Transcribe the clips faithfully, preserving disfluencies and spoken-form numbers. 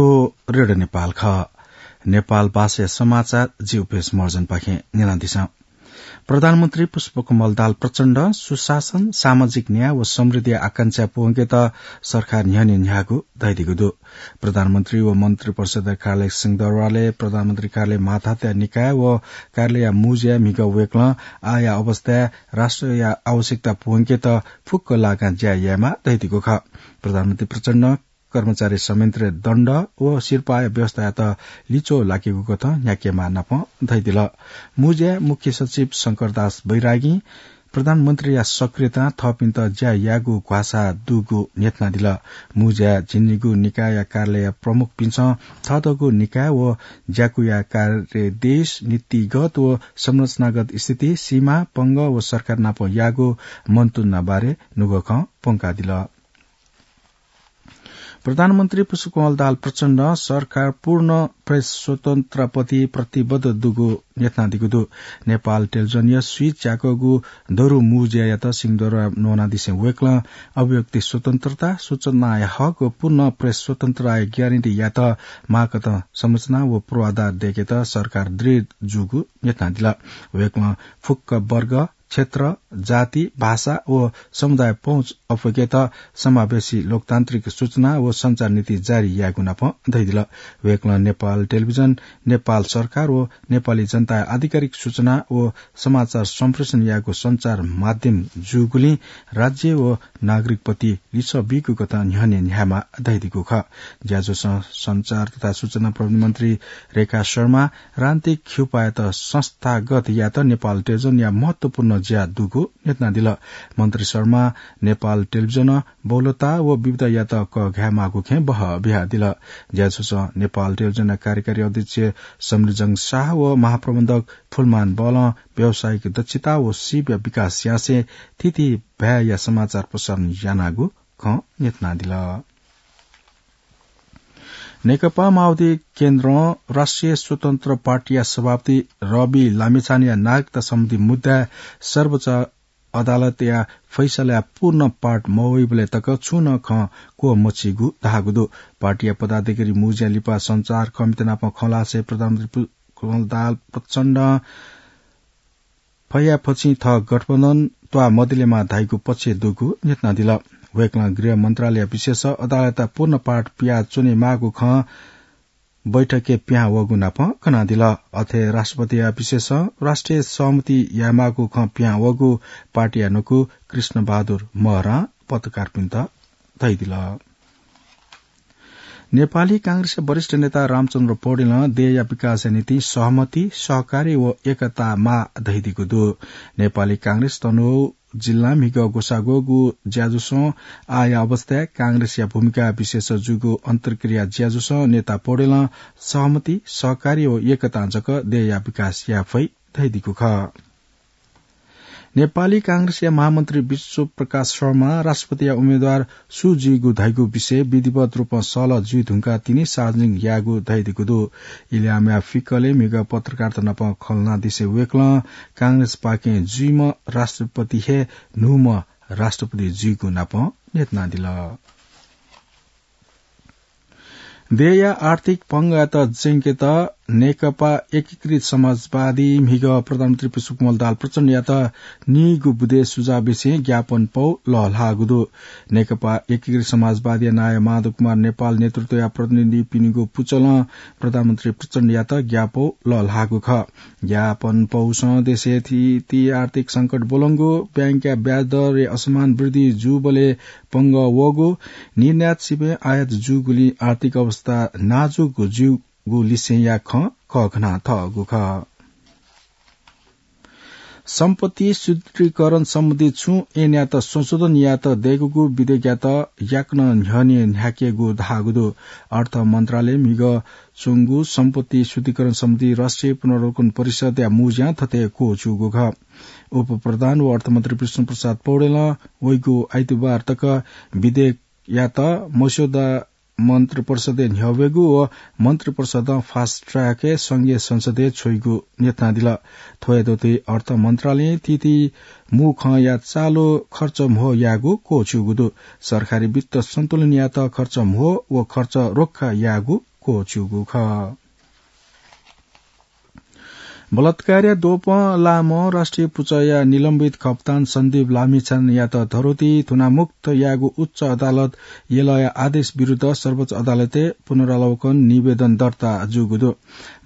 रेडियो नेपाल खः। नेपाल भाषाया समाचार जि उपेश महर्जनपाखें न्यनादिसँ। प्रधानमन्त्री पुष्पकमल दाहाल प्रचण्ड सुशासन, सामाजिक न्याय व समृद्धिया आकांक्षा पूवंकेत सरकार न्ह्यःने न्ह्याःगु धयादीगु दु। प्रधानमन्त्री व मन्त्रिपरिषदया कार्यालय सिंहदरबारलय् प्रधानमन्त्री कार्यालय, मातहतया निकाय व कार्यालयया मुँज्याय् म्हिगः वय्कलं आःया अवस्थाय् राष्ट्रया आवश्यकता पूवंकेत फुक्क लागां ज्या यायेमाः धयादीगु खः। प्रधानमन्त्री प्रचण्डं कर्मचारी संयन्त्रय् दण्ड व सिरपाःया व्यवस्थायात लिच्वः लाकेगु कथं न्ह्याकेमाः नापं धयादिल। मुँज्याय् मुख्य सचिव शंकरदास बैरागीं प्रधानमन्त्रीया सक्रियतां थःपिन्त ज्या यायेगु ग्वासाः दुगु न्ह्यथनादिल। मुँज्याय् झिंनिगू निकायया कार्यालयया प्रमुखपिन्सं थःथःगु निकाय व ज्याकुया कार्यदेश, नीतिगत व संरचनागत स्थिति, सीमा, पंगः व सरकार नाप याःगु मन्तुना बारे नुगः खँ प्वंकादिल। प्रधानमन्त्री पुष्पकमल दाहाल प्रचण्डं सरकार पूर्ण प्रेस स्वतन्त्रताप्रति प्रतिबद्ध दुगु न्ह्यथनादीगु दु। नेपाल टेलिभिजनया स्वीच्याकःगु दरु मुँज्यायात सिंहदरबार न्वनादिसें वय्कलं अभिव्यक्ति स्वतन्त्रता, सूचनाया हक व पूर्ण प्रेस स्वतन्त्रताया ग्यारेन्टी यायेत माःकथं संरचना व पूर्वाधार दयेकेत सरकार दृढ जूगु न्ह्यथनादिल। वय्कलं फुक्क वर्ग, क्षेत्र, जाति, भाषा व समुदाय पहुँच अप्वय्केत समावेशी लोकतान्त्रिक सूचना व सञ्चार नीति जारी यायेगु नाप धयादिल। वय्कलं नेपाल टेलिभिजन नेपाल सरकार व नेपाली जनताया आधिकारिक सूचना व समाचार सम्प्रेषण यायेगु सञ्चार माध्यम जूगुलिं राज्य व नागरिकप्रति लिसः बीगु कथं न्ह्यःने न्ह्यायेमाः धयादीगु खः। ज्याझ्वलं सञ्चार तथा सूचना प्रविधि मन्त्री रेखा शर्मा राजनीतिक खिउपायात संस्थागत यायेत नेपाल टेलिभिजनया महत्वपूर्ण ज्या दुगु न्ह्यथनादिल। मन्त्री शर्मां नेपाल टेलिभिजनं बहुलता व विविधतायात कःघायेमाःगु खँय् बहः बियादिल। ज्याझ्वलं नेपाल टेलिभिजनया कार्यकारी अध्यक्ष समिरजंग शाह व महाप्रबन्धक फुलमान बलं व्यावसायिक दक्षता व सीपया विकास यासें थीथी भाय्‌या समाचार प्रसारण यानागु खँ न्ह्यथनादिल। नेकपा माओवादी केन्द्रं राष्ट्रिय स्वतन्त्र पार्टीया सभापति रवि लामिछानेया नागरिकता सम्बन्धी मुद्दाय् सर्वोच्च अदालतया फैसलाया पूर्ण पाठ मवइबलय् तक छुं नं खँ क्वःमछिगु धाःगु दु। पार्टीया पदाधिकारी मुँज्यां लिपा सञ्चारकर्मीत नाप खँ ल्हासें प्रधानमन्त्री पु-, कमल दाहाल प्रचण्डं फयाफछि थः गठबन्धन त्वाः मदिलेमा धाइगु पक्ष दुगु न्ह्यथनादिल। वय्कलं गृह मन्त्रालयया विशेष अदालतया पूर्ण पाठ पियाच्वनेमाःगु खँ बैठकय् पिहां वःगु नाप कनादिल। अथे राष्ट्रपतिया विशेष राष्ट्रिय सहमति यायेमाःगु खँ पिहां वःगु पार्टीया न्हूकू कृष्णबहादुर महरां पत्रकारपिन्त धयादिल। नेपाली कांग्रेसया वरिष्ठ नेता रामचन्द्र पौडेलं देय्‌या विकासया निंतिं सहमति, सहकार्य व एकता माः धयादीगु दु। नेपाली कांग्रेस तनहुँ जिल्लां म्हिगः ग्वसाःग्वःगु ज्याझ्वलं आःया अवस्थाय् कांग्रेसया भूमिका विशेष जूगु अन्तर्क्रिया ज्याझ्वलं नेता पौडेलं सहमति, सहकार्य व एकतां जक देय्‌या विकास याये फइ धयादीगु खः। नेपाली कांग्रेसया महामन्त्री विश्वप्रकाश शर्मा राष्ट्रपतिया उम्मेदवार सु जुइगु धइगु विषय विधिवत रूपं सहलह जुइधुंकाः तिनि सार्वजनिक याःगु धयादीगु दु। इलामया फिकलय् म्हिगः पत्रकारत नाप खँ ल्हानादिसें वय्कलं कांग्रेसपाखें जुइम्ह राष्ट्रपति हे न्हूम्ह राष्ट्रपति जुइगु नाप न्ह्यथनादिल। देय्‌या आर्थिक पंगःयात ज्यंकेत नेकपा एकीकृत समाजवादी म्हिगः प्रधानमन्त्री पुष्पकमल दाहाल प्रचण्डयात नीगू बुँदे सुझाव बिसें ज्ञापन पौ लःल्हाःगु दु। नेकपा एकीकृत समाजवादीया नायः माधव कुमार नेपाल नेतृत्वया प्रतिनिधिपिनिगु पुचलं प्रधानमन्त्री प्रचण्डयात ज्ञापौ लःल्हाःगु खः। ज्ञापन पौसं देशय् थीथी आर्थिक संकट ब्वलंगु, बैंकया ब्याज दरय् असमान वृद्धि जूबलय् पंगः वःगु, निर्यात सिबें आयात जूगुलिं आर्थिक अवस्था नाजुक जूगु लिसेंया खँ कःघाना थःगु खः। सम्पत्ति शुद्धिकरण सम्बन्धी छुं ऐनयात संशोधन यायेत दय्कूगु विधेयकयात याकनं न्ह्यःने न्ह्याकेगु धाःगु दु। अर्थ मन्त्रालयय् म्हिगः च्वंगु सम्पत्ति शुद्धिकरण सम्बन्धी राष्ट्रिय पुनरावलोकन परिषदया मुँज्यां थथे क्वःछिउगु खः। उपप्रधान व अर्थमन्त्री विष्णुप्रसाद पौडेलं वइगु आइतबार तक विधेयकयात मस्यौदा मन्त्रिपरिषदय् न्ह्यःवयेगु व मन्त्रिपरिषदं fast track-य् संघीय संसदय् छ्वइगु न्ह्यथनादिल। थ्वयात अर्थ मन्त्रालयं थीथी मू खँया चालु खर्च म्हो यायेगु क्वःछिउगु दु। सरकारी वित्त सन्तुलन यायेत खर्च म्हो व खर्च रोक्खा यायेगु क्वःच्यूगु खः। बलात्कारया द्वपं लाःम्ह राष्ट्रिय पुचःया निलम्बित कप्तान सन्दीप लामिछानेयात धरोटी थुनामुक्त यायेगु उच्च अदालत यलया आदेश विरुद्ध सर्वोच्च अदालतय् पुनरावलोकन निवेदन दर्ता जूगु दु।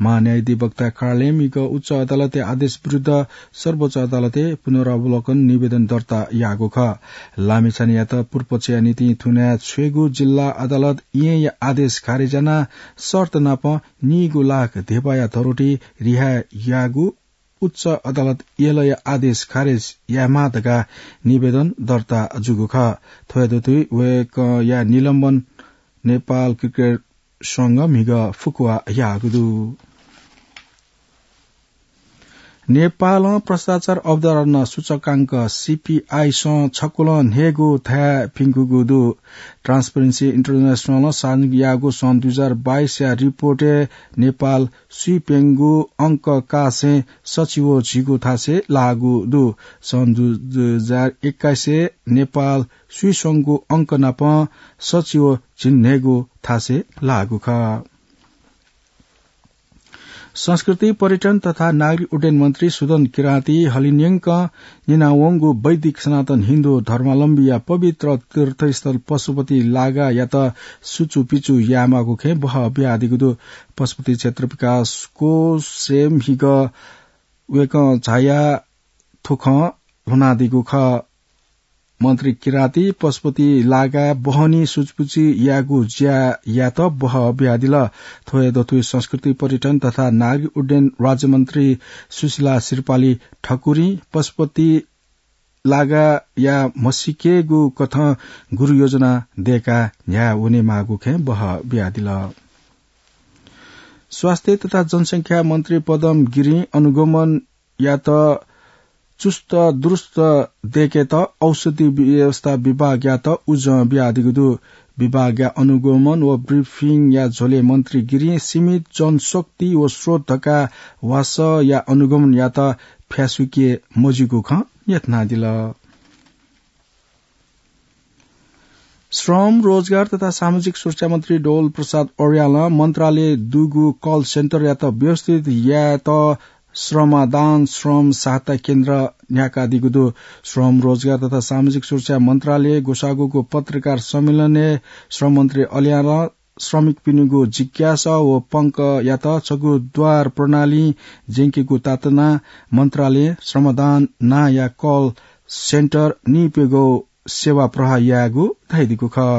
महान्यायाधिवक्ता कार्लेमय् उच्च अदालतय् आदेश विरुद्ध सर्वोच्च अदालतय् पुनरावलोकन निवेदन दर्ता याःगु खः। लामिछानेयात पुर्पचया निंतिं थुना छ्वयेगु जिल्ला अदालत येँया आदेश खारेज यानाः शर्त नाप नीगू लाख धेपाया धरोटी रिहा याःगु उच्च अदालत यलया आदेश खारेज यायेमाः धकाः निवेदन दर्ता जूगु खः। थ्व हे दथुइ वय्कःया निलम्बन नेपाल क्रिकेट संघं म्हिगः फुकुवा याःगु दु। नेपालं भ्रष्टाचार अवधारणा सूचकांक, सीपीआई सं छकुलं न्हय्गू थाय् प्यंकूगु दु। ट्रान्सपेरेन्सी इन्टरनेसनलं सार्वजनिक याःगु सन् दुई हजार बाइसया रिपोर्टय् नेपाल स्वीप्यंगू अंक कासें सच्छि व झिगू थासय् लाःगु दु। सन् दु-, दुई हजार एक्काइसय् नेपाल स्वीस्वंगू अंक नाप सच्छि व झिंन्हय्गू थासय् लाःगु खः। संस्कृति, पर्यटन तथा नागरिक उड्डयन मन्त्री सुदन किराँती हलिंन्यंक न्यनावंगु वैदिक सनातन हिन्दू धर्मावलम्बीया पवित्र तीर्थस्थल पशुपति लागायात सुचुपिचु यायेमाःगु खँय् बहः बियादीगु दु। पशुपति क्षेत्र विकास कोषय् म्हिगः वय्कलं झायाः थ्व खँ ल्ह्वनादीगु खः। मन्त्री किराँती पशुपति लागाय् बहनी सुचुपिचु यायेगु ज्यायात बहः बियादिल। थ्व हे दथुइ संस्कृति, पर्यटन तथा नागरिक उड्डयन राज्यमन्त्री सुशीला श्रीपाली ठकुरीं पशुपति लागाया म्हसीकेगु कथं गुरुयोजना दय्काः न्ह्याः वनेमाःगु खँय् बहः बियादिल। स्वास्थ्य तथा जनसंख्या मन्त्री पदम गिरिं अनुगमनयात चुस्त दुरुस्त दय्केत औषधि व्यवस्था विभागयात उजं बियादीगु दु। विभागया अनुगमन व ब्रिफिङया झ्वलय् मन्त्री गिरिं सीमित जनशक्ति व स्रोत धकाः वासःया अनुगमनयात फ्यासुके मज्यूगु खँ न्ह्यथनादिल। श्रम, रोजगार तथा सामाजिक सुरक्षा मन्त्री डोल प्रसाद अर्यालं मन्त्रालयय् दुगु कल सेन्टरयात व्यवस्थित यायेत श्रमदान श्रम सहायता केन्द्र न्ह्याकादीगु दु। श्रम, रोजगार तथा सामाजिक सुरक्षा मन्त्रालयय् ग्वसाःगुगु पत्रकार सम्मेलनय् श्रम मन्त्री अर्यालं श्रमिकपिनिगु जिज्ञासा व पंकयात छगू द्वार प्रणालीं ज्यंकेगु तातुनाः मन्त्रालयं श्रमदान नांया कल सेन्टर नीप्यघौ सेवा प्रवाह यायेगु धयादीगु खः।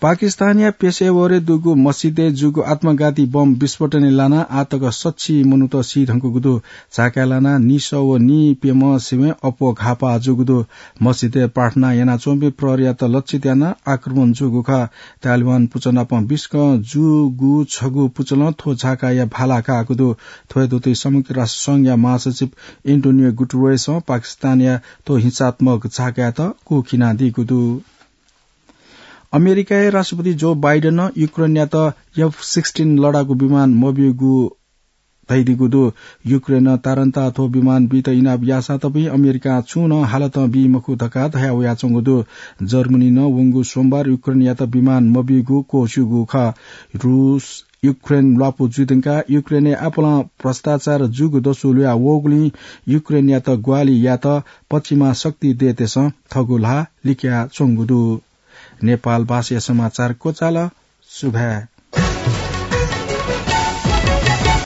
पाकिस्तानया पेशेवरय् दुगु मस्जिदय् जूगु आत्मघाती बम विस्फोटनय् लानाः आःतक सच्छि मनूत सी धुंकूगु दु। झाकाय् लानाः नीसः व नीप्यम्ह सिबें अप्वः घाःपाः जूगु दु। मस्जिदय् प्रार्थना यानाच्वंपिं प्रहरीयात लक्षित यानाः आक्रमण जूगु खः। तालिबान पुचः नाप बिस्कं जूगु छगू पुचलं थ्व झाकाया भाला काःगु दु। थ्व हे दथुइ संयुक्त राष्ट्र संघया महासचिव एन्टोनियो गुटरेसं पाकिस्तानया थ्व हिंसात्मक झाकायात कुःखिनादीगु दु। अमेरिकाया राष्ट्रपति जो बाइडेनं युक्रेनयात एफ सिक्सटिन लडाकू विमान मब्यूगु धयादीगु दु। युक्रेनं तारन्ताः थ्व विमान बीत इनाप याःसां तपिं अमेरिकां छुं नं हालतं बी मखु धकाः धया वयाच्वंगु दु। जर्मनीं नं वंगु सोमबार युक्रेनयात विमान मब्यूगु क्वःछ्यूगु खः। रूस युक्रेन ल्वापु जुइधुंकाः युक्रेनय् आपालं भ्रष्टाचार जूगु दसु ल्हुया वःगुलिं युक्रेनयात ग्वाहालि यायेत पश्चिमा शक्ति देय्तय्सं थःगु ल्हाः लिकयाच्वंगु दु। नेपाल भाषाया समाचार क्वचाल। सुभाय्।